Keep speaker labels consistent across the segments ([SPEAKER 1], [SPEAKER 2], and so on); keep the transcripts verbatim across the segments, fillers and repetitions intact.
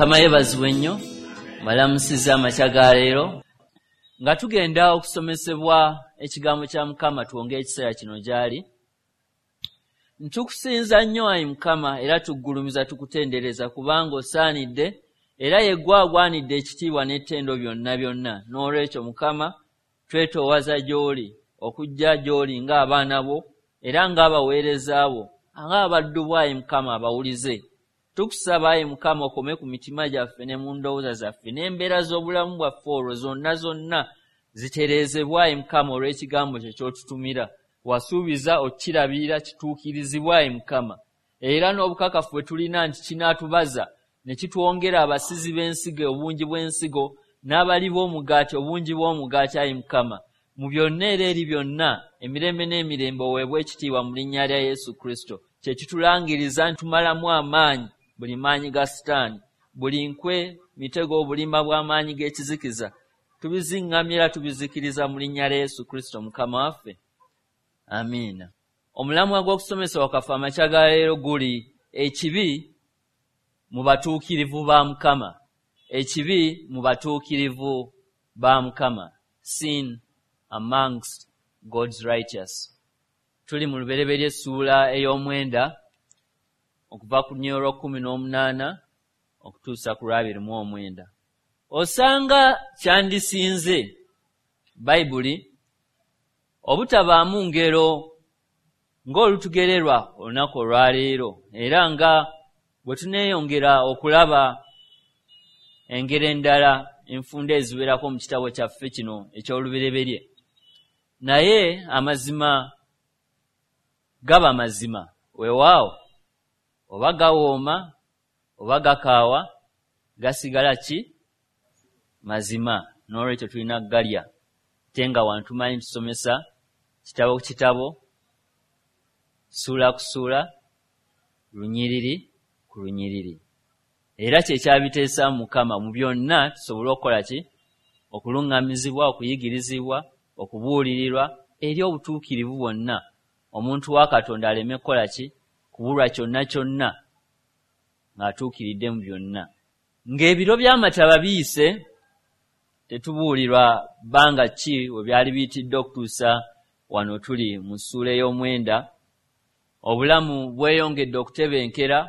[SPEAKER 1] Mukama yeebazibwe nnyo, mbalamusizza amakya ga leero nga tugenda okusomesebwa ekigambo kya Mukama, twongere ekiseera kino gy'ali. Ntukusinza nnyo ayi Mukama, era tuggulumiza tukutendereza kubanga osaanidde era ye ggwe agwanidde ekitiibwa n'ettendo byonna byonna. N'olwekyo Mukama twetoowaza gy'oli okujja gy'oli ng'abaana bo era ng'abaweereza bo, ng'abaddu bo ayi Mukama abawulize. Tukusaba ayi Mukama okome ku mitima gyaffe ne mu ndowooza zaffe n'embeera z'obulamu bwaffe, olwo zonna zonna zitereezebwa ayi Mukama olw'ekigambo kye ky'otutumira. Wasuubiza okukirabirira kituukirizibwa ayi Mukama, era n'obukakafu bwe tulina nti kinaatubaza ne kitwongera abasizi b'ensigo obungi bw'ensigo n'abali b'omugaati obungi bw'omugaati ayi Mukama. Mu byonna era eri byonna emirembe n'emirembe oweebwe ekitiibwa mu linnya lya Yesu Kristo. Kye kitulangiriza nti tumalamu amaanyi buli maanyi ga Sitaani, buli nkwe, mitego, obulimba bw'amaanyi g'ekizikiza tubiziŋŋamya era tubizikiriza mu linnya lya Yesu Kristo Mukama waffe. Amiina. Omulamwa gw'okusomesa kwaffe amakya ga leero guli ekibi mu batuukirivu ba Mukama. Ekibi mu batuukirivu ba Mukama. Sin amongst God's righteous. Tuli mu Lubereberye essuula ey'omwenda okuva ku lunyiriri lw'ekkumi n'omunaana okutuusa ku lw'abiri mu omwenda. Osanga kyandisinze Bayibuli obutabaamu ngero ng'olutugererwa olunaku olwaleero, era nga bwe tuneeyongera okulaba engero endala enfunda eziwerako mu kitabo kyaffe kino eky'Olubereberye. Naye amazima gaba mazima, weewaawo oba gawooma oba gakaawa, gasigala ki mazima. N'olwekyo tulina kugalya, ate nga wano tumanyi tusomesa kitabo ku kitabo, ssuula ku ssuula, lunyiriri ku lunyiriri. Era kye kyabiteesa Mukama mu byonna tusobole okukola ki? Okuluŋŋamizibwa, okuyigirizibwa, okubuulirirwa eri obutuukirivu bwonna. Omuntu wa Katonda aleme kukola ki? Kubulwa kyonna kyonna ng'atuukiridde mu byonna. Ng'ebiro by'amataba biyise, tetubuulirwa bbanga ki we byali biyitidde okutuusa wano tuli mu ssuula ey'omwenda. Obulamu bweyongedde okutebenkera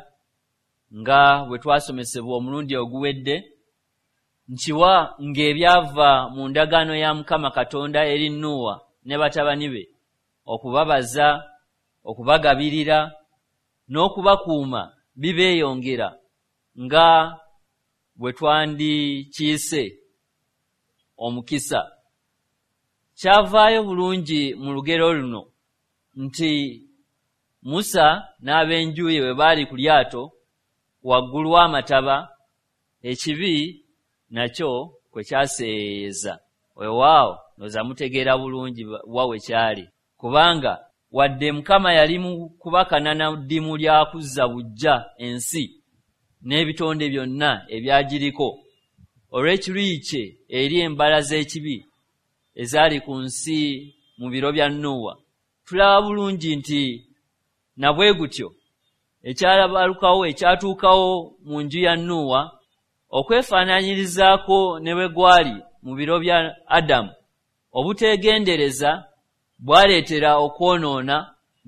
[SPEAKER 1] nga bwe twasomesebwa omulundi oguwedde, nkiwa ng'ebyava mu ndagaano ya Mukama Katonda eri Nuuwa ne batabani be, okubabaza, okubagabirira n'okubakuuma bibeeyongera nga bwe twandikiise omukisa. Kyavaayo bulungi mu lugero luno nti Musa n'ab'enju ye bwe baali ku lyato waggulu w'amataba, ekibi nakyo kwe kyaseeyeeyeza. Weewaawo ndowooza mutegeera bulungi wa we kyali, kubanga wadde Mukama yali mu kubakanana ddimu lya kuzza buggya ensi n'ebitonde byonna ebyagiriko, olw'ekiruyi kye eri embala z'ekibi ezaali ku nsi mu biro bya Nuuwa, tulaba bulungi nti na bwe gutyo ekyalabalukawo ekyatuukawo mu nju ya Nuuwa okwefaanaanyirizaako ne bwe gwali mu biro bya Adamu, obuteegendereza bwaleetera okwonoona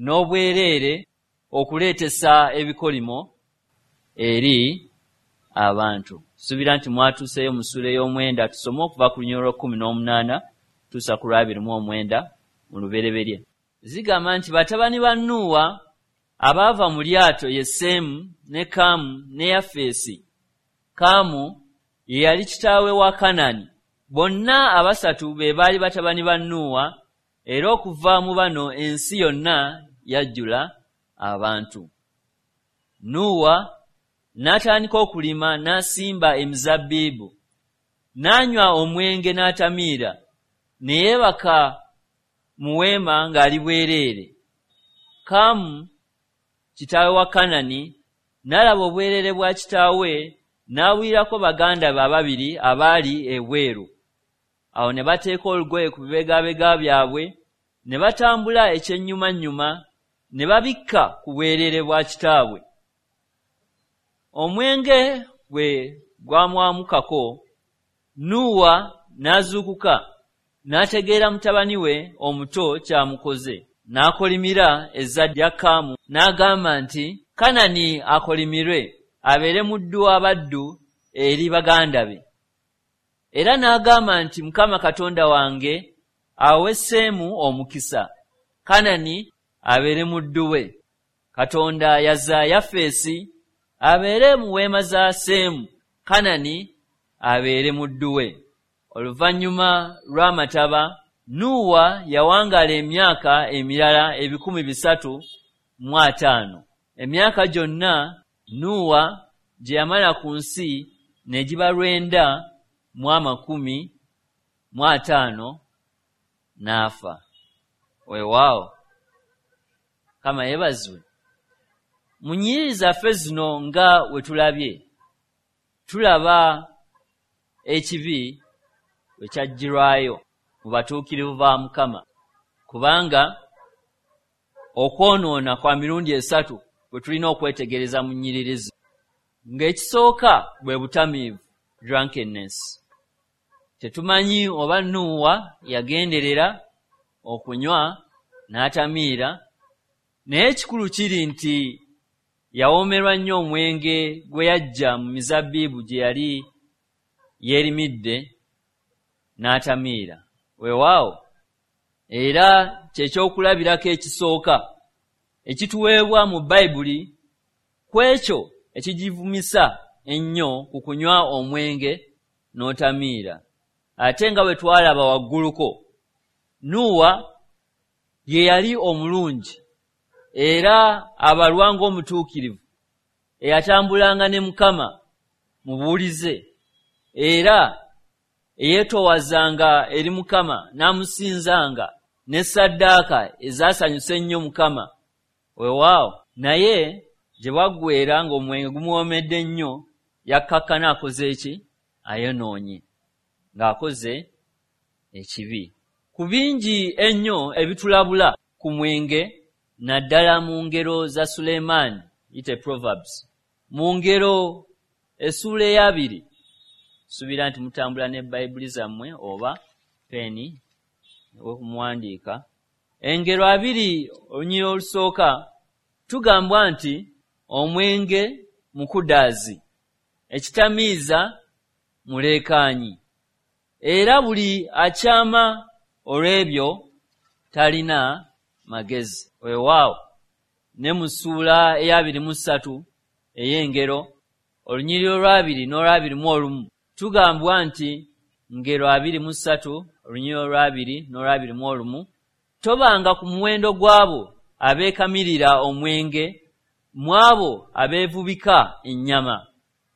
[SPEAKER 1] n'obwereere okuleetesa ebikolimo eri abantu. Suubira nti mwatuuseeyo mu ssuula ey'omwenda, tusome okuva ku lunyiriri lw'ekkumi n'omunaana tuusa ku lw'abiri mu omwenda mu Lubereberye. Zigamba nti batabani ba Nuuwa abaava mu lyato ye Seemu ne Kaamu ne Yafeesi. Kaamu ye yali kitaawe wa Kanani. Bonna abasatu be baali batabani ba Nuuwa, era okuva mu bano ensi yonna yajjula abantu. Nuuwa n'atandika okulima n'asimba emizabbibu, n'anywa omwenge n'atamiira, ne yeebaka mu weema ng'ali bwereere. Kaamu kitaawe wa Kanani n'alaba obwereere bwa kitaawe, n'awulirako baganda be ababiri abaali ebweru. Awo ne bateeka olugoye ku bibegabega byabwe ne batambula ekyennyumannyuma ne babikka ku bwereere bwa kitaabwe. Omwenge bwe gwamwamukako, Nuuwa n'azuukuka, n'ategeera mutabani we omuto ky'amukoze, n'akolimira ezzadde lya Kaamu, n'agamba nti, Kanani akolimirwe, abeere muddu w'abaddu eri baganda be. Era n'agamba nti, Mukama Katonda wange awe Seemu omukisa, Kanani abeere muddu we. Katonda yazza Yafeesi abeere mu weema za Seemu, Kanani abeere muddu we. Oluvannyuma lw'amataba, Nuuwa yawangaala emyaka emirala ebikumi bisatu mu ataano. Emyaka gyonna Nuuwa gye yamala ku nsi ne giba lwenda mu amakumi mu ataano n'afa. Weewaawo, Mukama yeebazibwe. Mu nnyiriri zaffe zino nga we tulabye, tulaba ekibi we kyaggyirwayo mu batuukirivu ba Mukama, kubanga okwonoona kwa mirundi esatu bwe tulina okwetegereza mu nnyiriri zino. Ng'ekisooka bwe butamiivu, drunkenness. Tetumanyi oba Nuuwa yagenderera okunywa n'atamiira, naye ekikulu kiri nti yawoomerwa nnyo omwenge gwe yaggya mu mizabbibu gye yali yeerimidde n'atamiira. Weewaawo, era ky'ekyokulabirako ekisooka ekituweebwa mu Bayibuli ku ekyo ekigivumisa ennyo ku kunywa omwenge n'otamiira. Ate nga bwe twalaba wagguluko, Nuuwa ye yali omulungi era abalwa ng'omutuukirivu, eyatambulanga ne Mukama mu buwulize, era eyeetoowazanga eri Mukama n'amusinzanga ne ssaddaaka ezaasanyusa ennyo Mukama. Weewaawo, naye gye bwaggweera ng'omwenge gumuwoomedde nnyo, yakkakkana akoze eki? Ayonoonye, ng'akoze ekibi. Ku bingi ennyo ebitulabula ku mwenge, naddala mu ngero za Sulemaani, yite Proverbs, mu ngero essuula ey'abiri, suubira nti mutambula ne Bayibuli zammwe oba peeni okumuwandiika. Engero abiri olunyiriri olusooka tugambwa nti omwenge mukudaazi, ekitamiiza muleekaanyi, era buli akyama olw'ebyo talina magezi. Weewaawo, ne mu ssuula ey'abiri mu ssatu ey'engero olunyiriri olw'abiri n'olw'abiri mu olumu tugambwa nti ngero abiri mu ssatu olunyiriri olw'abiri n'olw'abiri mu olumu, tobanga ku muwendo gw'abo abeekamirira omwenge, mu abo abeevubika ennyama,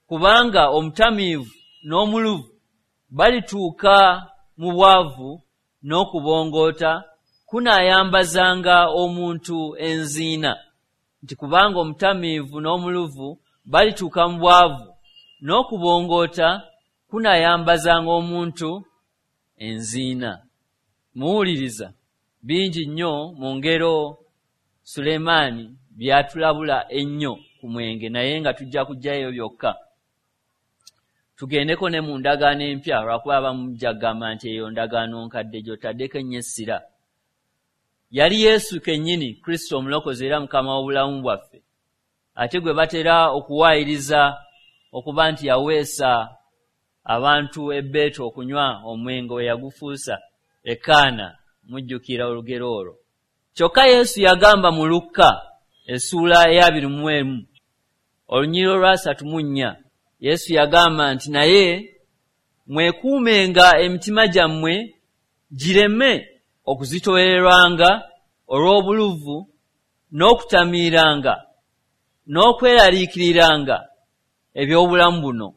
[SPEAKER 1] kubanga omutamiivu n'omuluvu balituuka mu bwavu n'okubongoota kunaayambazanga omuntu enziina. Nti kubanga omutamiivu n'omuluvu balituuka mu bwavu n'okubongoota kunaayambazanga omuntu enziina. Muwuliriza bingi nnyo mu ngero Sulemaani by'atulabula ennyo ku mwenge, naye nga tujja kuggyayo byokka. Tugendeko ne mu ndagaano empya, lwakuba abamu mujja kugamba nti eyo ndagaano nkadde gy'otaddeko ennyo essira. Yali Yesu kennyini, Kristo omulokozi era Mukama w'obulamu bwaffe, ate gwe batera okuwaayiriza okuba nti yaweesa abantu ebbeetu okunywa omwenge we yagufuusa ekaana. Mujjukira olugero olwo. Kyokka Yesu yagamba mu Lukka essuula ey'abiri mu emu olunyiriri olwasatu mu nnya, Yesu yagamba nti, naye mwekuumenga emitima gyammwe gireme okuzitoowererwanga olw'obuluvu n'okutamiiranga n'okweraliikiriranga eby'obulamu buno,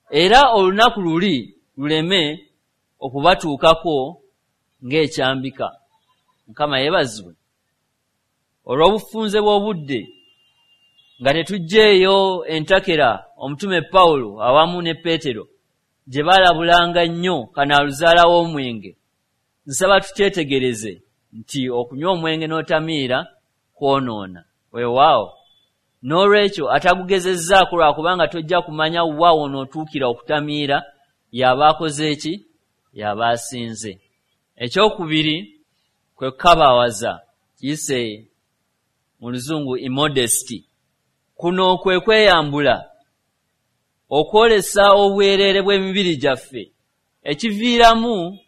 [SPEAKER 1] era olunaku luli luleme okubatuukako ng'ekyambika. Mukama yeebazibwe. Olw'obufunze bw'obudde nga tetuggyeeyo entakera omutume Pawulo awamu ne Peetero gye baalabulanga nnyo kanaaluzaala w'omwenge, nsaba tukyetegereze nti okunywa omwenge n'otamiira kwonoona. Weewaawo, N'olwekyo atagugezezzaako, lwakubanga tojja kumanya wa wonootuukira okutamiira, y'aba akoze eki? Y'aba asinze. Ekyokubiri kwe kukabawaza, kiyise mu luzungu immodesty. Kuno kwe kweyambula, okwolesa obwereere bw'emibiri gyaffe, ekiviiramu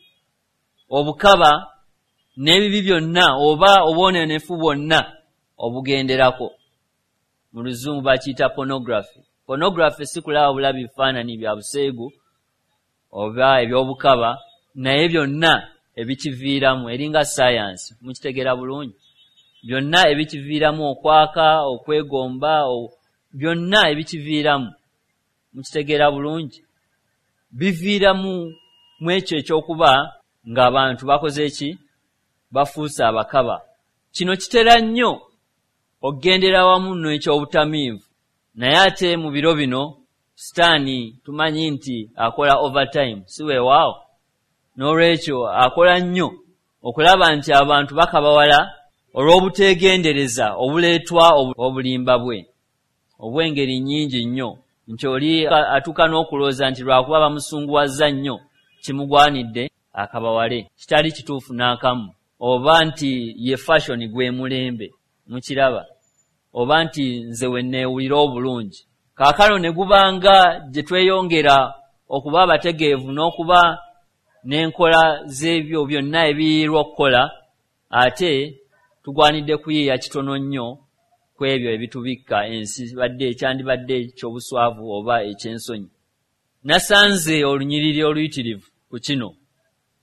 [SPEAKER 1] obukaba n'ebibi byonna oba obwononefu bwonna obugenderako. Mu luzungu bakiyita pornography. Pornography si kulaba bulabi bifaananyi bya buseegu oba eby'obukaba, naye byonna ebikiviiramu, eringa science, mukitegeera bulungi. Byonna ebikiviiramu, okwaka, okwegomba, byonna ebikiviiramu, mukitegeera bulungi, biviiramu mu ekyo ekyokuba ng'abantu bakoze ki? Bafuuse abakaba. Kino kitera nnyo okugendera wamu n'ekyobutamiivu, naye ate mu biro bino Sitaani tumanyi nti akola overtime, si weewaawo? N'olwekyo akola nnyo okulaba nti abantu bakabawala olw'obuteegendereza obuleetwa obulimba bwe obw'engeri nnyingi nnyo, nti oli atuuka n'okulowooza nti lwakuba bamusunguwazza nnyo kimugwanidde akabawale, kitali kituufu n'akamu, oba nti ye fashion gwe mulembe, mukiraba, oba nti nze we neewulira obulungi. Kaakano ne gubanga gye tweyongera okuba abategeevu n'okuba n'enkola z'ebyo byonna ebiyiirwa okukola, ate tugwanidde kuyiiya kitono nnyo ku ebyo ebitubikka ensi badde ekyandibadde eky'obuswavu oba eky'ensonyi. Nasanze olunyiriri oluyitirivu ku kino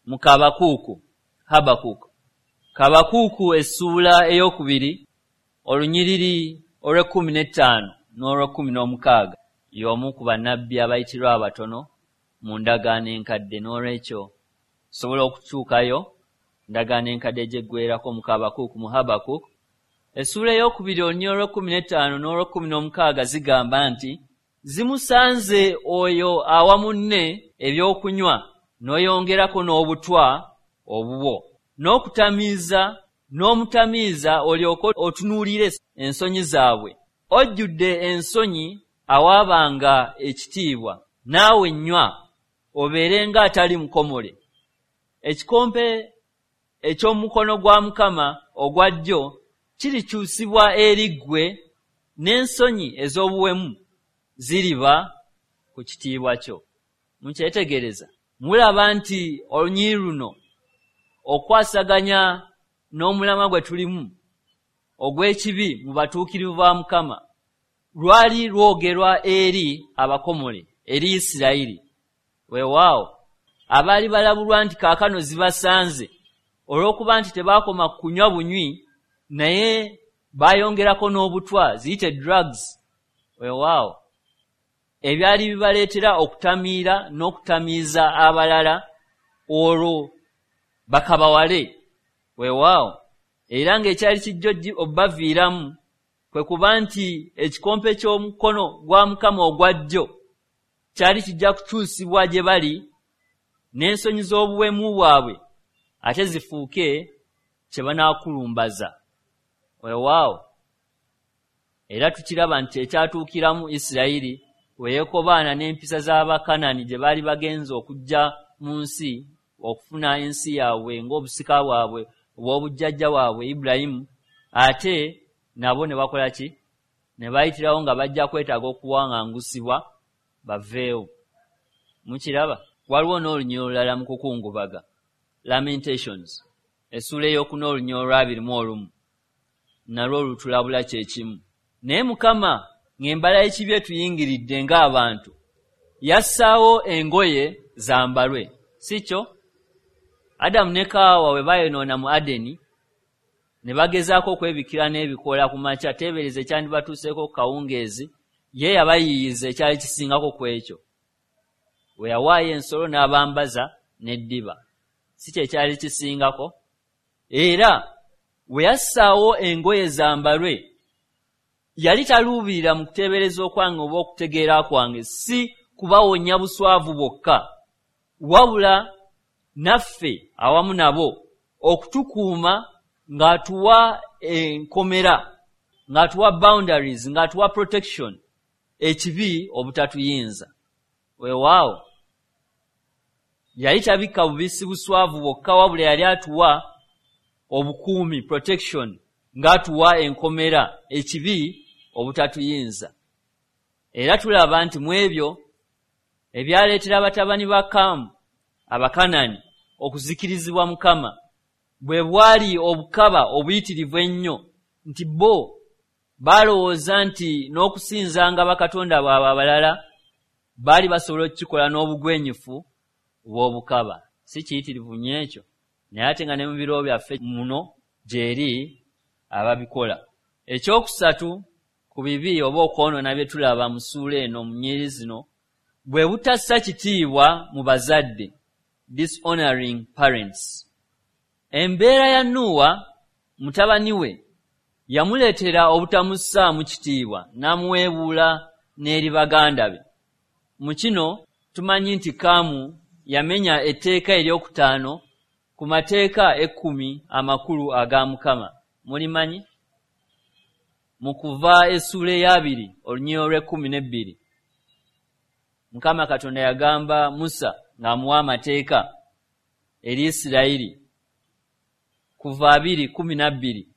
[SPEAKER 1] mu Kabakuuku, Habakuuku. Kabakuuku essuula ey'okubiri, olunyiriri olw'ekkumi n'ettaano n'olw'ekkumi n'omukaaga. Y'omu ku bannabbi abayitirwa abatono mu ndagaano enkadde, n'olwekyo sobola okutuukayo ndagaano enkadde gyeggwerako mu Kabakuuku, mu Habakuuku. Essuula ey'okubiri olunyiriri olw'ekkumi n'ettaano n'olw'ekkumi n'omukaaga zigamba nti, zimusanze oyo awa munne ebyokunywa n'oyongerako n'obutwa obubwo, n'okutamiiza n'omutamiiza olyoke otunuulire ensonyi zaabwe. Ojjudde ensonyi awaabanga ekitiibwa, naawe nnywa obeere ng'atali mukomole. Ekikompe eky'omukono gwa Mukama ogwa ddyo kirikyusibwa eri ggwe, n'ensonyi ez'obuwemu ziriba ku kitiibwa kyo. Mukyetegereza, mulaba nti olunyiriri luno okwasaganya n'omulamwa gwe tulimu ogw'ekibi mu batuukirivu ba Mukama lwali lwogerwa eri abakomole, eri Isirayiri. Weewaawo abaali balabulwa nti kaakano zibasanze olw'okuba nti tebaakoma kunywa bunywi, naye baayongerako n'obutwa, ziyite drugs. Weewaawo ebyali bibaleetera okutamiira n'okutamiiza abalala, olwo bakabawale. Weewaawo era ng'ekyali kijja obbaviiramu kwe kuba nti ekikompe ky'omukono gwa Mukama ogwa ddyo kyali kijja kukyusibwa gye bali, n'ensonyi z'obuwemu bwabwe ate zifuuke kye banaakulumbaza. Weewaawo era tukiraba nti ekyatuukiramu Isirayiri we yeekobaana n'empisa z'Abakanani gye baali bagenze okujja mu nsi okufuna ensi yaabwe ng'obusika bwabwe obw'obujjajja bwabwe Ibulayimu, ate nabo ne bakola ki? Ne bayitirawo nga bajja kwetaaga okuwaŋŋangusibwa baveewo. Mukiraba? Waliwo n'olunyiriri olulala mu kukungubaga, Lamentations, essuula ey'okuna olunyiriri olw'abiri mu olumu, nalwo lutulabula kye kimu. Naye Mukama ng'embala y'ekibi etuyingiridde ng'abantu, yassaawo engoye zambalwe, si kyo? Adamu ne Kaawa bwe baayonoona mu Adeni ne bagezaako okwebikkira n'ebikoola ku makya, teebereza ekyandibatuuseeko ku kawungeezi, ye yabayiiyiza ekyali kisingako ku ekyo. Bwe yawaayo ensolo n'abambaza n'eddiba, si kye kyali kisingako? Era bwe yassaawo engoye zambalwe, yali taluubirira mu kuteebereza okwange oba okutegeera kwange, si kubawonya buswavu bwokka, wabula naffe awamu nabo okutukuuma ng'atuwa enkomera ng'atuwa boundaries, ng'atuwa protection, ekibi obutatuyinza. Weewaawo yali tabikka bubisi buswavu bwokka, wabula yali atuwa obukuumi, protection, ng'atuwa enkomera, ekibi obutatuyinza. Era tulaba nti mu ebyo ebyaleetera batabani ba Kaamu Abakanani okuzikirizibwa Mukama, bwe bwali obukaba obuyitirivu ennyo, nti bo balowooza nti n'okusinzanga bakatonda baabwe abalala baali basobola okukikola n'obugwenyufu bw'obukaba. Si kiyitirivu nnyo ekyo, naye ate nga ne mu biro byaffe muno gy'eri ababikola. Ekyokusatu ku bibi oba okwonoona bye tulaba mu ssuula eno mu nnyiriri zino, bwe butassa kitiibwa mu bazadde, dishonoring parents. Embeera ya Nuuwa mutabani we yamuleetera obutamussaamu kitiibwa, n'amuweebuula n'eri baganda be. Mu kino tumanyi nti Kaamu yamenya etteeka eryokutaano ku mateeka ekkumi amakulu aga Mukama. Mulimanyi? Mu Kuva essuula ey'abiri olunyiriri olw'ekkumi n'ebbiri, Mukama Katonda yagamba Musa ng'amuwa amateeka eri Isirayiri, Kuva abiri kkumi na bbiri,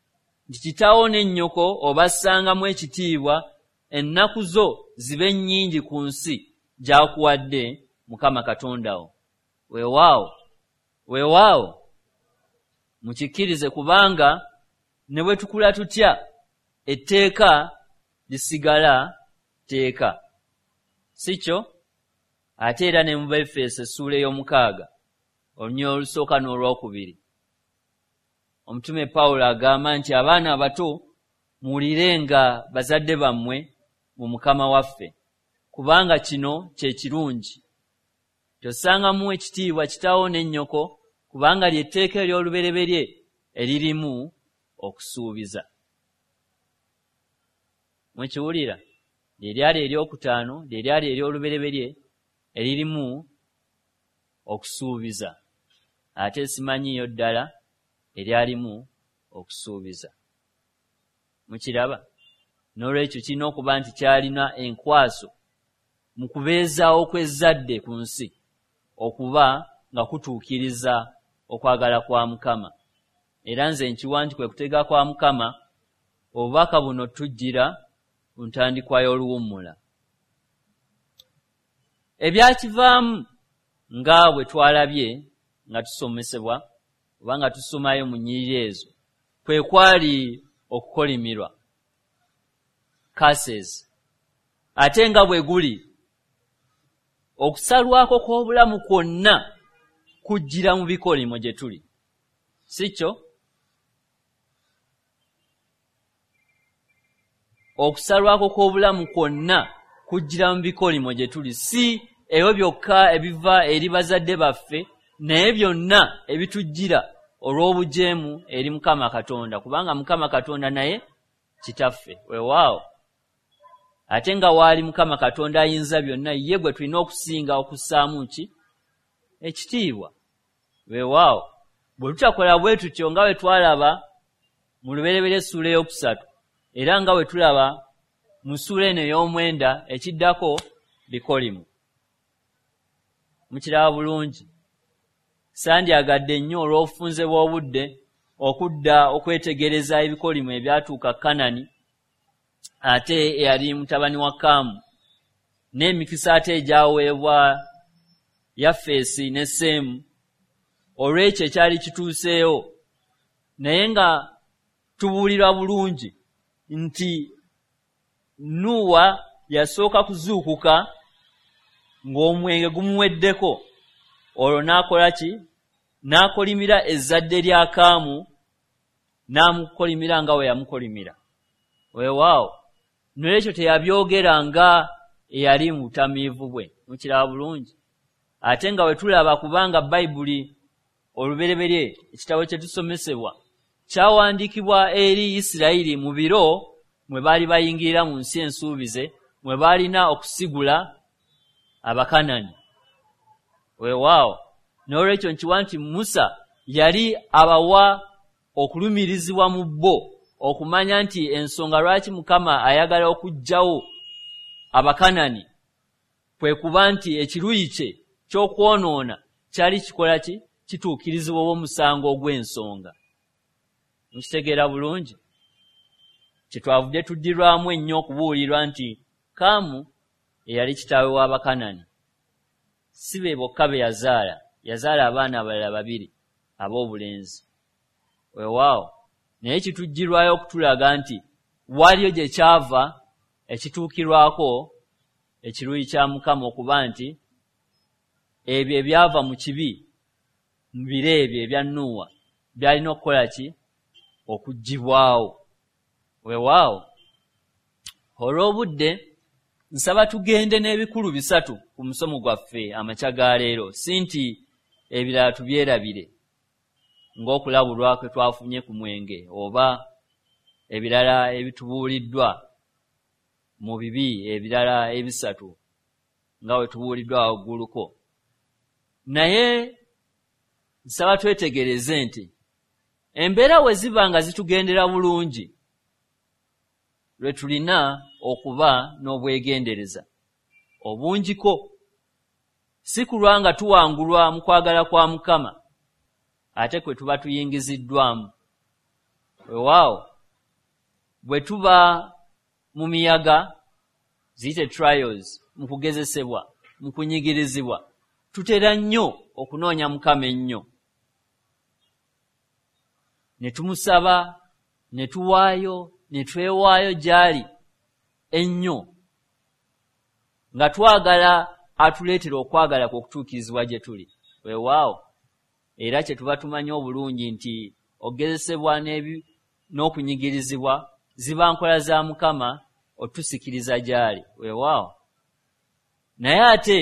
[SPEAKER 1] nti kitaawo ne nnyoko obassangamu ekitiibwa, ennaku zo zibe nnyingi ku nsi gy'akuwadde Mukama Katonda wo. Weewaawo, weewaawo, mukikkirize, kubanga ne bwe tukula tutya etteeka lisigala tteeka, si kyo? Ate era ne mu Baefeso essuula ey'omukaaga olunyiriri olusooka n'olwokubiri, omutume Pawulo agamba nti abaana abato muwulirenga bazadde bammwe mu Mukama waffe, kubanga kino kye kirungi. Tossangamu ekitiibwa kitaawo ne nnyoko, kubanga ly'etteeka ery'olubereberye eririmu okusuubiza. Mukiwulira? Lye lyali eryokutaano, lye lyali ery'olubereberye eririmu okusuubiza, ate simanyiiyo ddala eryalimu okusuubiza. Mukiraba? N'olwekyo kirina okuba nti kyalina enkwaso mu kubeezaawo kw'ezzadde ku nsi, okuba nga kutuukiriza okwagala kwa Mukama. Era nze nkiwa nti kwe kutega kwa Mukama obubaka buno tujjira ku ntandikwa y'oluwummula. Ebyakivaamu nga bwe twalabye nga tusomesebwa oba nga tusomayo mu nnyiriri ezo, kwe kwali okukolimirwa, curses. Ate nga bwe guli okusalwako kw'obulamu kwonna kujjira mu bikolimo gye tuli, si kyo? Okusalwako kw'obulamu kwonna kujjira mu bikolimo gye tuli, si ebyo byokka ebiva eri bazadde baffe, naye byonna ebitujjira olw'obujeemu eri Mukama Katonda, kubanga Mukama Katonda naye kitaffe. Weewaawo, ate nga waali Mukama Katonda ayinza byonna, ye gwe tulina okusinga okussaamu ki? Ekitiibwa. Weewaawo, bwe tutakola bwe tutyo, nga bwe twalaba mu Lubereberye essuula ey'okusatu, era nga bwe tulaba mu ssuula eno ey'omwenda ekiddako bikolimo. Mukiraba bulungi? Sandyagadde nnyo olw'obufunze bw'obudde okudda okwetegereza ebikolimo ebyatuuka Kanani ate eyali mutabani wa Kaamu, n'emikisa ate egyaweebwa Yafeesi ne Seemu olw'ekyo ekyali kituuseewo, naye nga tubuulirwa bulungi nti Nuuwa yasooka kuzuukuka ng'omwenge gumuweddeko, olwo n'akola ki? N'akolimira ezzadde lya Kaamu, n'amukolimira nga bwe yamukolimira. Weewaawo, n'olwekyo teyabyogera nga eyali mu butamiivu bwe. Mukiraba bulungi? Ate nga bwe tulaba, kubanga Bayibuli olubereberye ekitabo kye tusomesebwa kyawandiikibwa eri Isirayiri mu biro mwe baali bayingirira mu nsi ensuubize, mwe baalina okusigula Abakanani. Weewaawo, n'olwekyo nkiwa nti Musa yali abawa okulumirizibwa mu bo okumanya nti ensonga lwaki Mukama ayagala okuggyawo Abakanani kwe kuba nti ekiruyi kye ky'okwonoona kyali kikola ki? Kituukirizibwa omusango ogw'ensonga. Mukitegeera bulungi? Kyetwavudde tuddirwamu ennyo okubuulirwa nti Kaamu eyali kitaawe w'Abakanani si be bokka be yazaala, yazaala abaana abalala babiri ab'obulenzi. Weewaawo, naye kitujjirwayo okutulaga nti waliyo gye kyava ekituukirwako ekiruyi kya Mukama okuba nti ebyo ebyava mu kibi mu biro ebyo ebya Nuuwa byalina okukola ki? Okuggyibwawo. Weewaawo, olw'obudde nsaba tugende n'ebikulu bisatu ku musomo gwaffe amakya ga leero, si nti ebirala tubyerabire ng'okulabulwa kwe twafunye ku mwenge oba ebirala ebitubuuliddwa mu bibi ebirala ebisatu nga bwe tubuuliddwa wagguluko. Naye nsaba twetegereze nti embeera we ziba nga zitugendera bulungi lwe tulina okuba n'obwegendereza obungiko, si kulwa nga tuwangulwa mu kwagala kwa Mukama ate kwe tuba tuyingiziddwamu. Weewaawo, bwe tuba mu miyaga, ziyite trials, mu kugezesebwa, mu kunyigirizibwa, tutera nnyo okunoonya Mukama ennyo, ne tumusaba, ne tuwaayo, ne twewaayo gy'ali ennyo, nga twagala atuleetera okwagala kwe okutuukirizibwa gye tuli. Weewaawo, era kye tuba tumanyi obulungi nti okugezesebwa n'okunyigirizibwa ziba nkola za Mukama otusikiriza gy'ali. Weewaawo, naye ate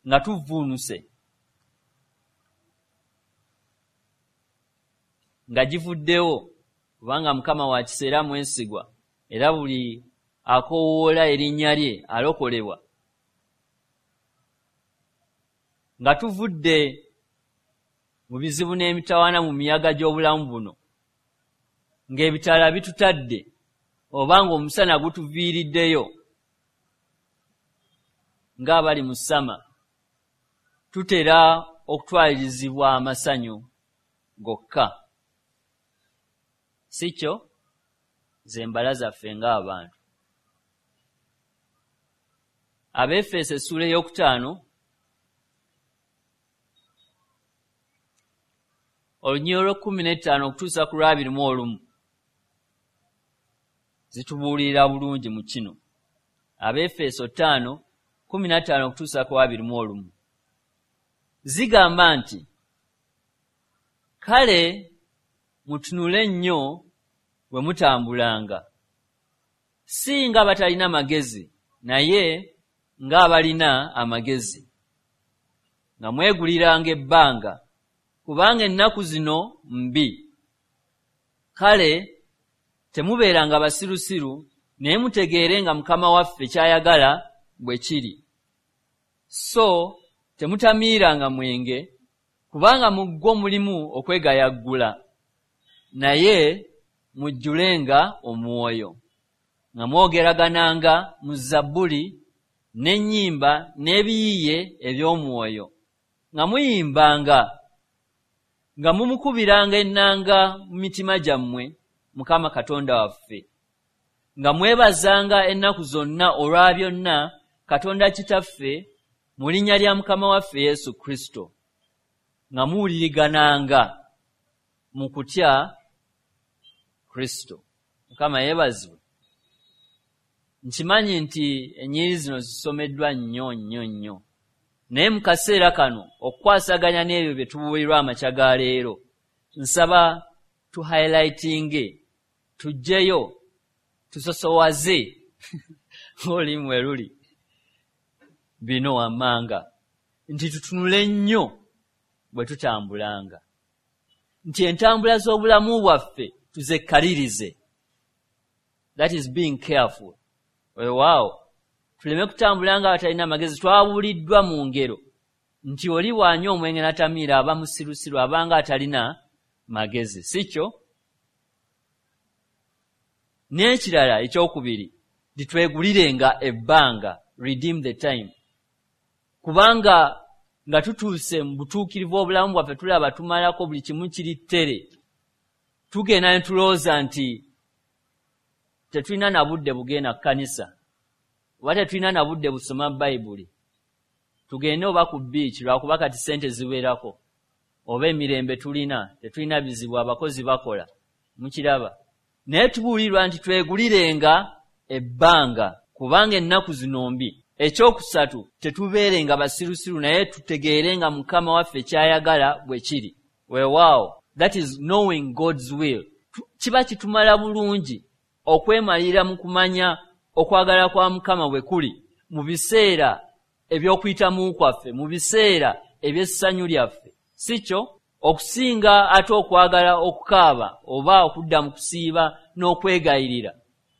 [SPEAKER 1] nga tuvvuunuse nga givuddewo, kubanga Mukama wa kisa era mwesigwa, era buli akoowoola erinnya lye alokolebwa. Nga tuvudde mu bizibu n'emitawaana mu miyaga gy'obulamu buno, ng'ebitaala bitutadde oba ng'omusana gutuviiriddeyo ng'abali mu ssama, tutera okutwalirizibwa amasanyu gokka. Si kyo? Ze mbala zaffe ng'abantu. Abeefeso essuula ey'okutaano olunyiriri olw'ekkumi n'ettaano okutuusa ku lw'abiri mu olumu zitubuulirira bulungi mu kino. Abeefeso ttaano kkumi na ttaano okutuusa ku abiri mu olumu zigamba nti, kale mutunule nnyo bwe mutambulanga, si nga batalina magezi, naye ng'abalina amagezi, nga mweguliranga ebbanga, kubanga ennaku zino mbi. Kale temubeeranga basirusiru, naye mutegeere nga Mukama waffe ky'ayagala bwe kiri. So temutamiiranga mwenge, kubanga mu gwo mulimu okwegayaggula, naye mujjulenga omwoyo, nga mwogeragananga mu zabbuli n'ennyimba n'ebiyiiye eby'omwoyo, nga muyimbanga, nga mumukubiranga ennanga mu mitima gyammwe Mukama Katonda waffe, nga mwebazanga ennaku zonna olwa byonna Katonda Kitaffe mu linnya lya Mukama waffe Yesu Kristo, nga muwulirigananga mu kutya Kristo. Mukama yeebazibwe. Nkimanyi nti ennyiriri zino zisomeddwa nnyo nnyo nnyo, naye mu kaseera kano okukwasaganya n'ebyo bye tubuulirwa amakya ga leero, nsaba tu highlightinge, tuggyeyo, tusosowaze ng'olulimi we luli bino wammanga, nti tutunule nnyo bwe tutambulanga, nti entambula z'obulamu bwaffe tuzekkalirize. That is being careful. Weewaawo, tuleme kutambula nga abatalina magezi. Twabuuliddwa mu ngero nti oli bw'anywa omwenge n'atamiira aba musirusiru, abanga atalina magezi, si kyo? N'ekirala ekyokubiri, titwegulirenga ebbanga, redeem the time. Kubanga nga tutuuse mu butuukirivu obulamu bwaffe tulaba tumalako buli kimu kiri ttere, tugenda ne tulowooza nti tetulina na budde bugenda kkanisa, oba tetulina na budde busoma Bayibuli, tugende oba ku bbiici lwakuba kati ssente ziwerako, oba emirembe tulina, tetulina bizibu, abakozi bakola, mukiraba. Naye tubuulirwa nti twegulirenga ebbanga, kubanga ennaku zino mbi. Ekyokusatu, tetubeerenga basirusiru, naye tutegeerenga Mukama waffe ky'ayagala bwe kiri. Weewaawo, that is knowing God's will. Kiba kitumala bulungi okwemalira mu kumanya okwagala kwa Mukama bwe kuli mu biseera eby'okuyitamu kwaffe, mu biseera eby'essanyu lyaffe, si kyo? Okusinga ate okwagala okukaaba oba okudda mu kusiiba n'okwegayirira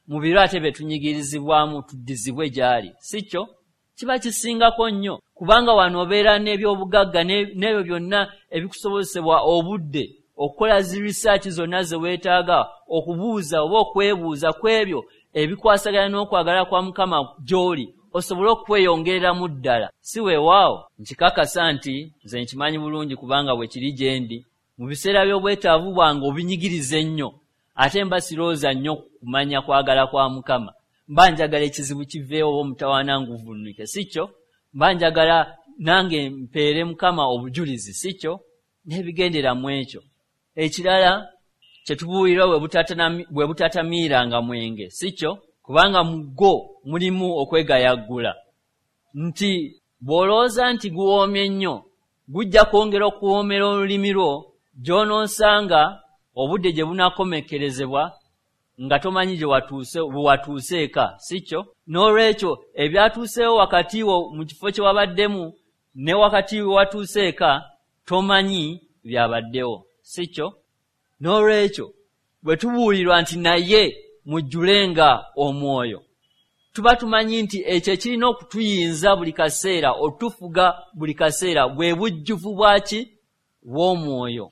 [SPEAKER 1] mu biro ate bye tunyigirizibwamu tuddizibwe gy'ali, si kyo? Kiba kisingako nnyo, kubanga wano obeera n'ebyobugagga n'ebyo byonna ebikusobozesebwa obudde okukola zi research zonna ze weetaaga, okubuuza oba okwebuuza ku ebyo ebikwasaganya n'okwagala kwa Mukama gy'oli, osobole okweyongereramu ddala. Si weewaawo? Nkikakasa nti nze nkimanyi bulungi, kubanga bwe kiri gye ndi. Mu biseera by'obwetaavu bwange obinyigiriza ennyo, ate mba sirowooza nnyo kumanya kwagala kwa Mukama. Mba njagala ekizibu kiveewo oba omutawaana nguvunnuke, si kyo? Mba njagala nange mpeere Mukama obujulizi, si kyo? N'ebigendera mu ekyo. Ekirala kye tubuulirwa bwe butatamiiranga mwenge, si kyo? Kubanga mu gwo mulimu okwegayaggula, nti bw'olowooza nti guwoomye nnyo, gujja kwongera okuwoomera olulimi lwo, gy'onoosanga obudde gye bunaakomekkerezebwa nga tomanyi gye watuuse, bwe watuuse eka, si kyo? N'olwekyo ebyatuuseewo wakati wo mu kifo kye wabaddemu ne wakati we watuuse eka tomanyi byabaddewo, si kyo? N'olwekyo bwe tubuulirwa nti naye mujjulenga omwoyo, tuba tumanyi nti ekyo ekirina okutuyinza buli kaseera, otufuga buli kaseera, bwe bujjuvu bwaki? Bw'omwoyo.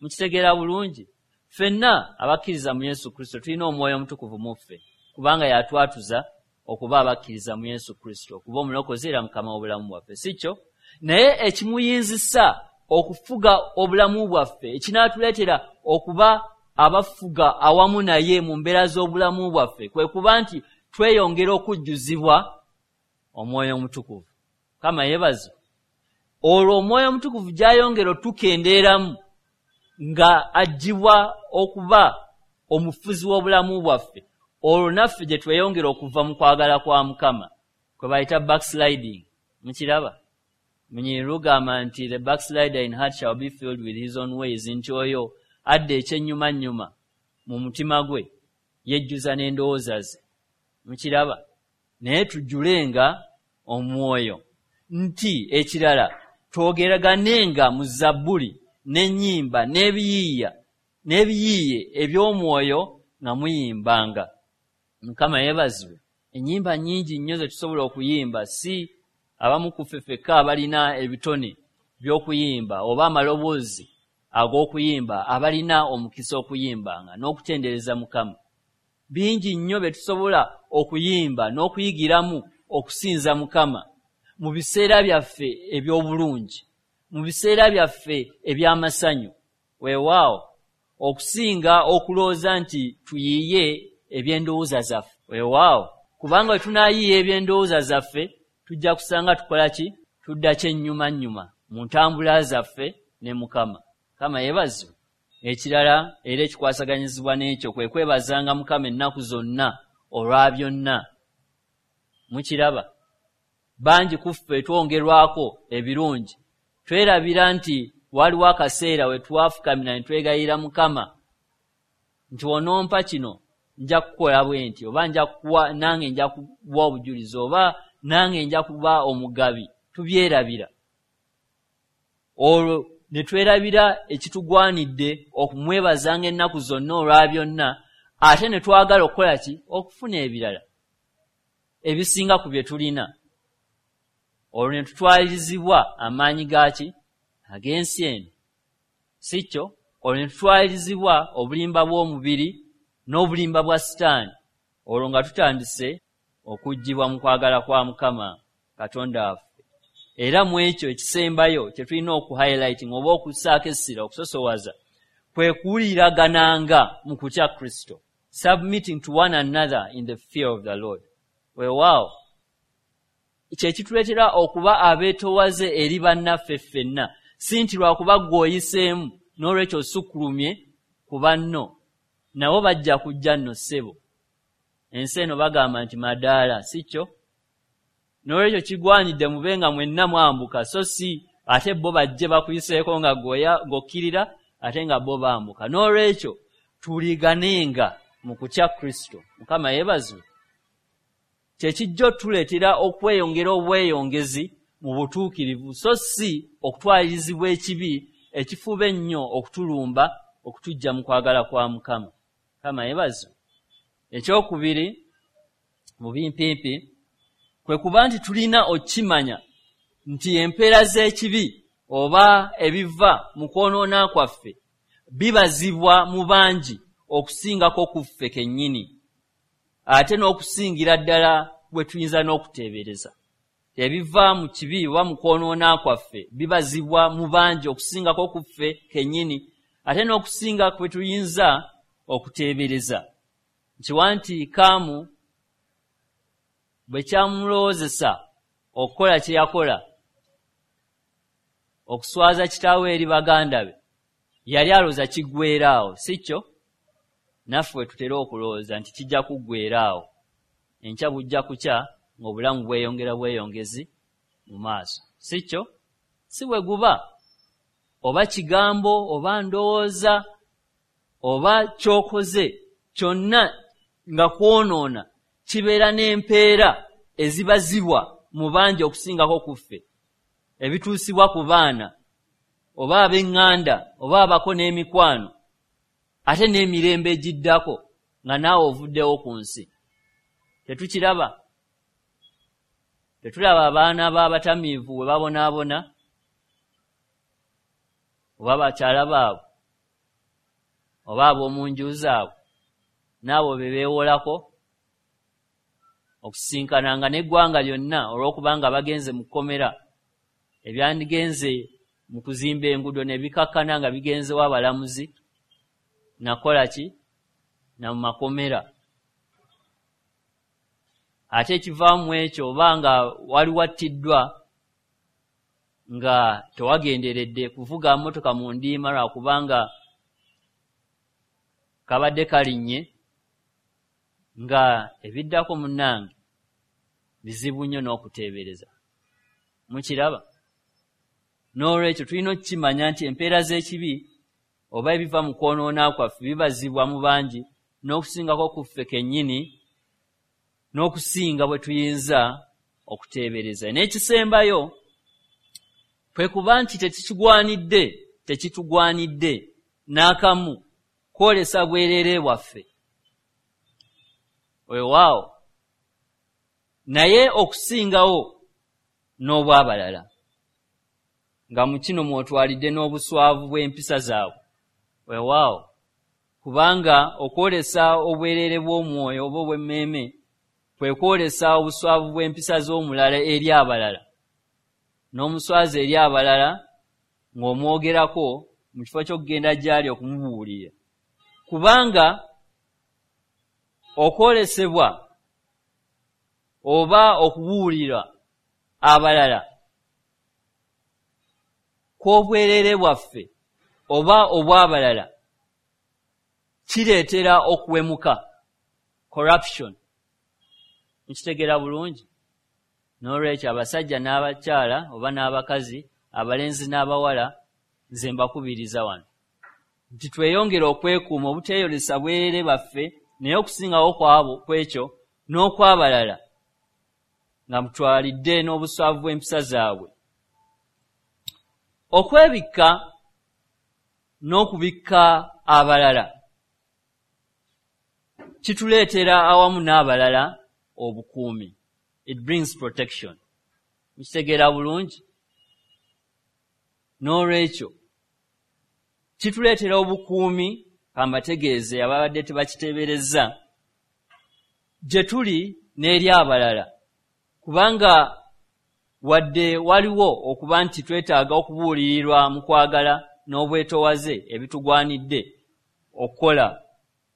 [SPEAKER 1] Mukitegeera bulungi? Ffenna abakkiriza mu Yesu Kristo tulina omwoyo omutukuvu mu ffe, kubanga yatwatuza okuba abakkiriza mu Yesu Kristo, okuba omulokozi era Mukama w'obulamu bwaffe, si kyo? Naye ekimuyinzisa okufuga obulamu bwaffe, ekinaatuleetera okuba abafuga awamu naye mu mbeera z'obulamu bwaffe, kwe kuba nti tweyongera okujjuzibwa omwoyo omutukuvu. Mukama yeebazibwe. Olwo omwoyo omutukuvu gy'ayongera otukendeeramu nga aggyibwa okuba omufuzi w'obulamu bwaffe, olwo naffe gye tweyongera okuva mu kwagala kwa Mukama, kwe bayita backsliding. Mukiraba? Munyiri lugamba nti the backslider in heart shall be filled with his own ways, nti oyo adda ekyennyumannyuma mu mutima gwe yejjuza n'endowooza ze. Mukiraba? Naye tujjulenga omwoyo. Nti ekirala, twogeraganenga mu zabbuli n'ennyimba n'ebiyiiya n'ebiyiiye eby'omwoyo nga muyimbanga. Mukama yeebazibwe. Ennyimba nnyingi nnyo ze tusobola okuyimba, si abamu ku ffe ffekka abalina ebitone by'okuyimba oba amaloboozi ag'okuyimba, abalina omukisa okuyimbanga n'okutendereza Mukama. Bingi nnyo bye tusobola okuyimba n'okuyigiramu okusinza Mukama mu biseera byaffe eby'obulungi, mu biseera byaffe eby'amasanyu. Weewaawo, okusinga okulowooza nti tuyiiye eby'endowooza zaffe. Weewaawo, kubanga bwe tunaayiiya eby'endowooza zaffe tujja kusanga tukola ki? Tudda kyennyumannyuma mu ntambula zaffe ne Mukama. Mukama yeebazibwe. Ekirala era ekikwasaganyizibwa n'ekyo kwe kwebazanga Mukama ennaku zonna olwa byonna. Mukiraba? Bangi ku ffe twongerwako ebirungi, twerabira nti waliwo akaseera we twafukamira ne twegayirira Mukama nti onompa kino nja kukola bwe nti, oba nja kuwa nange nja kuwa obujulizi, oba nange nja kuba omugabi. Tubyerabira. Olwo ne twerabira ekitugwanidde okumwebazanga ennaku zonna olwa byonna, ate ne twagala okukola ki? Okufuna ebirala ebisinga ku bye tulina. Olwo ne tutwalirizibwa amaanyi gaaki? Ag'ensi eno, si kyo? Olwo ne tutwalirizibwa obulimba bw'omubiri n'obulimba bwa Sitaani, olwo nga tutandise okuggyibwa mu kwagala kwa Mukama Katonda waffe. Era mu ekyo ekisembayo kye tulina okuhighlighting oba okussaako essira, okusosowaza, kwe kuwuliragananga mu kutya Kristo, submitting to one another in the fear of the Lord. Weewaawo kye kituleetera okuba abeetoowaze eri bannaffe ffenna, si nti lwakuba ggwe oyiseemu n'olwekyo osukkulumye ku banno, nabo bajja kujja nno ssebo. Ensi eno bagamba nti madaala, si kyo? N'olwekyo kigwanidde mube nga mwenna mwambuka, so si ate bo bajje bakuyiseeko nga ggw'okkirira ate nga bo bambuka. N'olwekyo tuliganenga mu kutya Kristo. Mukama yeebazibwe. Kye kijja otuleetera okweyongera obweyongezi mu butuukirivu, so si okutwalirizibwa ekibi ekifuba ennyo okutulumba okutuggya mu kwagala kwa Mukama. Mukama yeebazibwe. Ekyokubiri mu bimpimpi kwe kuba nti tulina okukimanya nti empeera z'ekibi oba ebiva mu kwonoona kwaffe bibazibwa mu bangi okusingako ku ffe kennyini, ate n'okusingira ddala bwe tuyinza n'okuteebereza. Ebiva mu kibi oba mu kwonoona kwaffe bibazibwa mu bangi okusingako ku ffe kennyini, ate n'okusinga kwe tuyinza okuteebereza. Nkiwa nti Kaamu bwe kyamulowoozesa okukola kye yakola, okuswaza kitaawe eri baganda be, yali alowooza kiggweera awo, si kyo? Naffe we tutera okulowooza nti kijja kuggweera awo, enkya bujja kukya ng'obulamu bweyongera bweyongezi mu maaso, si kyo? Si bwe guba, oba kigambo oba ndowooza oba ky'okoze kyonna nga kwonoona, kibeera n'empeera ezibazibwa mu bangi okusingako ku ffe, ebituusibwa ku baana oba ab'eŋŋanda oba abako n'emikwano, ate n'emirembe egiddako nga naawe ovuddewo ku nsi. Tetukiraba? Tetulaba abaana b'abatamiivu bwe babonaabona oba bakyala baabwe oba ab'omu nju zaabwe n'abo be beewolako okusinkananga n'eggwanga lyonna olw'okubanga bagenze mu kkomera, ebyandigenze mu kuzimba enguudo ne bikakkana nga bigenzewo abalamuzi nakola ki na mu makomera. Ate ekivaamu ekyo oba nga wali wattiddwa nga tewagenderedde kuvuga mmotoka mu ndiima lwakubanga kabadde kalinnye, nga ebiddako munnange bizibu nnyo n'okuteebereza. Mukiraba? N'olwekyo tulina okukimanya nti empeera z'ekibi oba ebiva mu kwonoona kwaffe bibazibwa mu bangi n'okusingako ku ffe kennyini, n'okusinga bwe tuyinza okuteebereza. N'ekisembayo kwe kuba nti tekikigwanidde, tekitugwanidde n'akamu kwolesa bwereere bwaffe. Weewaawo, naye okusingawo n'obw'abalala, nga mu kino mw'otwalidde n'obuswavu bw'empisa zaabwe. Weewaawo, kubanga okwolesa obwereere bw'omwoyo oba obw'emmeeme kwe kwolesa obuswavu bw'empisa z'omulala eri abalala, n'omuswaza eri abalala ng'omwogerako mu kifo ky'okugenda gy'ali okumubuulira. Kubanga okwolesebwa oba okubuulira abalala kw'obwereere bwaffe oba obw'abalala kireetera okuwemuka, corruption. Nkitegeera bulungi? N'olwekyo abasajja n'abakyala oba n'abakazi, abalenzi n'abawala, nze mbakubiriza wano nti tweyongere okwekuuma obuteeyolesa bwereere baffe, naye okusingawo kwabo kw'ekyo n'okw'abalala, nga mutwalidde n'obuswavu bw'empisa zaabwe. Okwebikka n'okubikka abalala kituleetera awamu n'abalala obukuumi. It brings protection. Nkitegeera bulungi? N'olwekyo kituleetera obukuumi Kambategeeze ababadde tebakiteeberezza, gye tuli n'eri abalala, kubanga wadde waliwo okuba nti twetaaga okubuulirirwa mu kwagala n'obwetoowaze ebitugwanidde okukola,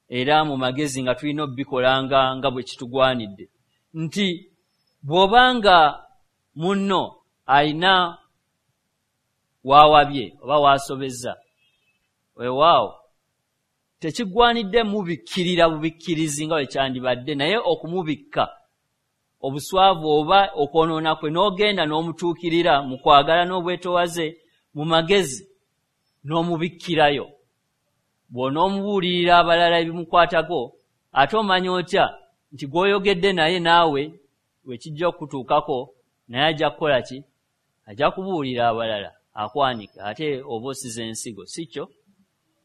[SPEAKER 1] era mu magezi nga tulina obikolanga nga bwe kitugwanidde, nti bw'obanga munno alina waawabye oba waasobezza, weewaawo tekigwanidde mubikkirira bubikkirizi nga bwe kyandibadde, naye okumubikka obuswavu oba okwonoona kwe n'ogenda n'omutuukirira mu kwagala n'obwetoowaze mu magezi n'omubikkirayo. Bw'onoomubuulirira abalala ebimukwatako, ate omanya otya nti gw'oyogedde naye naawe we kijja okutuukako, naye ajja kukola ki? Ajja kubuulira abalala akwanike, ate oba osiza ensigo, si kyo?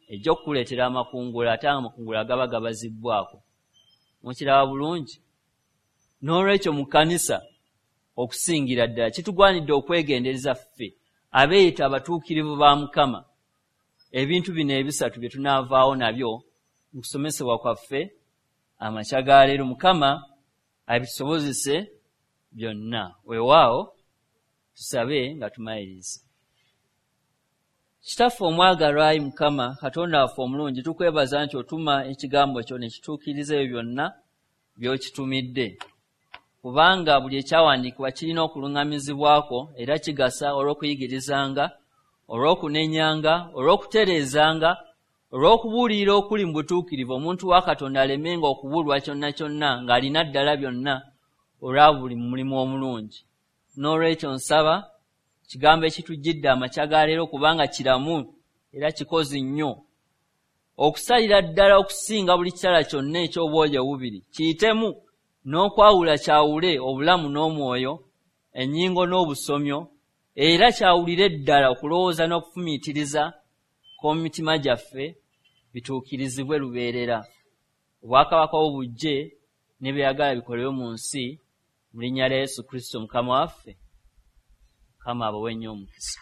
[SPEAKER 1] Ejja okukuleetera amakungula, ate amakungula gaba gabazibbwako. Mukiraba bulungi? N'olwekyo mu kkanisa okusingira ddala kitugwanidde okwegendereza ffe abeeyita abatuukirivu ba Mukama, ebintu bino ebisatu bye tunaavaawo nabyo mu kusomesebwa kwaffe amakya ga leero. Mukama abitusobozese byonna. Weewaawo tusabe nga tumaliriza. Kitaffe omwagalwa, ayi Mukama Katonda waffe omulungi, tukwebaza nti otuma ekigambo kyo ne kituukiriza ebyo byonna by'okitumidde, kubanga buli ekyawandiikibwa kirina okuluŋŋamizibwako era kigasa olw'okuyigirizanga, olw'okunenyanga, olw'okutereezanga, olw'okubuulirira okuli mu butuukirivu, omuntu wa Katonda alemenga okubulwa kyonna kyonna ng'alina ddala byonna olwa buli mulimu omulungi. N'olwekyo nsaba kigambo ekitujjidde amakya ga leero, kubanga kiramu era kikozi nnyo okusalira ddala okusinga buli kitala kyonna eky'obwogi obubiri, kiyitemu n'okwawula kyawule obulamu n'omwoyo, ennyingo n'obusomyo, era kyawulire ddala okulowooza n'okufumiitiriza kw'omu mitima gyaffe, bituukirizibwe lubeerera. Obwakabaka bwo bujje, ne by'oyagala bikolebwe mu nsi, mu linnya lya Yesu Kristo Mukama waffe. Mukama abawe nnyo omukisa.